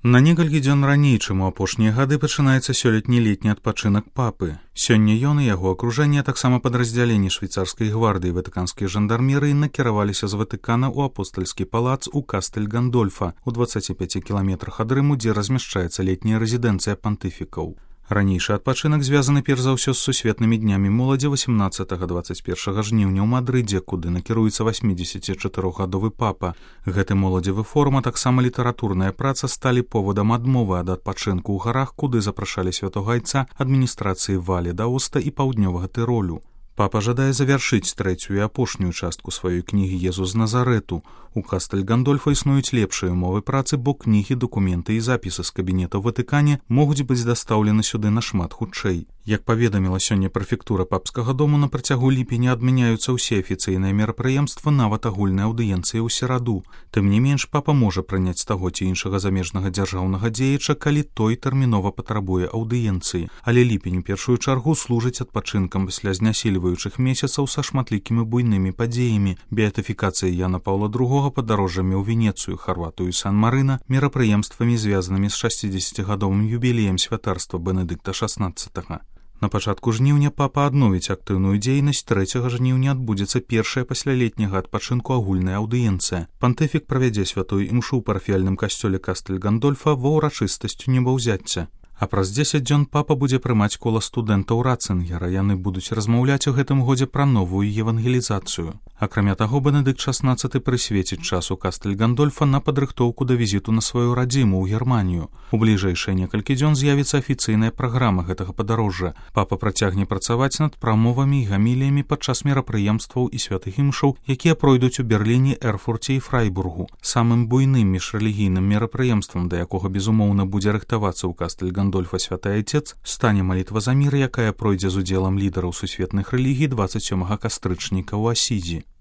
На некалькі дзён раней, чым у апошнія гады, пачынаецца сёлетні летні адпачынак папы. Сёння ён і яго акружэнне, а таксама падраздзяленні швейцарскай гвардыі ватыканскай жандармерыі накіраваліся з Ватыкана ў апостальскі палац у Кастэль-Гандольфа у 25 кіламетрах ад Рыму, дзе размяшчаецца летняя рэзідэнцыя пантыфікаў. Ранейшы адпачынак звязаны перш за ўсё з сусветнымі днямі моладзі 18-21 жніўня ў Мадрыдзе, куды накіруецца 84-гадовы папа. Гэты моладзевы форум, а таксама літаратурная праца сталі повадам адмовы ад адпачынку ў гарах, куды запрашалі святога айца адміністрацыі Вале д'Аоста і паўднёвага Тыролю. Папа жадае завяршыць трэцюю і апошнюю частку сваёй кнігі «Езус з Назарету». У Кастэль-Гандольфа існуюць лепшыя ўмовы працы, бо кнігі, дакументы і запісы з кабінета ў Ватыкане могуць быць дастаўлены сюды нашмат хутчэй. Як паведаміла сёння прэфектура папскага дому, на працягу ліпеня адмяняюцца ўсе афіцыйныя мерапрыемствы, нават агульныя аўдыенцыі ў сераду. Тым не менш, папа можа прыняць таго ці іншага замежнага дзяржаўнага дзеяча, калі той тэрмінова патрабуе аўдыенцыі. Але ліпень у першую чаргу служыць адпачынкам пасля знясільваючых месяцаў са шматлікімі буйнымі падзеямі: беатыфікацыяй Яна Паўла II, падарожжамі ў Венецыю, Харватыю і Сан-Марына, мерапрыемствамі, звязанымі з 60-гадовым юбілеем святарства Бенедыкта XVI. На пачатку жніўня папа адновіць актыўную дзейнасць. 3 жніўня адбудзецца першая пасля летняга адпачынку агульная аўдыенцыя. Пантыфік правядзе святую імшу ў парафіяльным касцёле Кастэль-Гандольфа ва ўрачыстасцю небаўзяцця. А праз 10 дзён папа будзе прымаць кола студэнтаў Ратцынгера. Яны будуць размаўляць у гэтым годзе пра новую евангелізацыю. Акрамя таго, Бенедыкт XVI прысвеціць час у Кастэль-Гандольфа на падрыхтоўку да візіту на сваю радзіму ў Германію. У бліжэйшыя некалькі дзён з'явіцца афіцыйная праграма гэтага падарожжа. Папа працягне працаваць над прамовамі і гаміліямі падчас мерапрыемстваў і святых імшаў, якія пройдуць у Берліне, Эрфурце і Фрайбургу. Самым буйным міжрэлігійным мерапрыемствам, да якога, безумоўна, будзе рыхтавацца ў Кастэль-Гандольфа святы айцец, стане малітва за мір, якая пройдзе з удзелам лідараў сусветных рэлігій 27 кастрычніка ў Асідзі.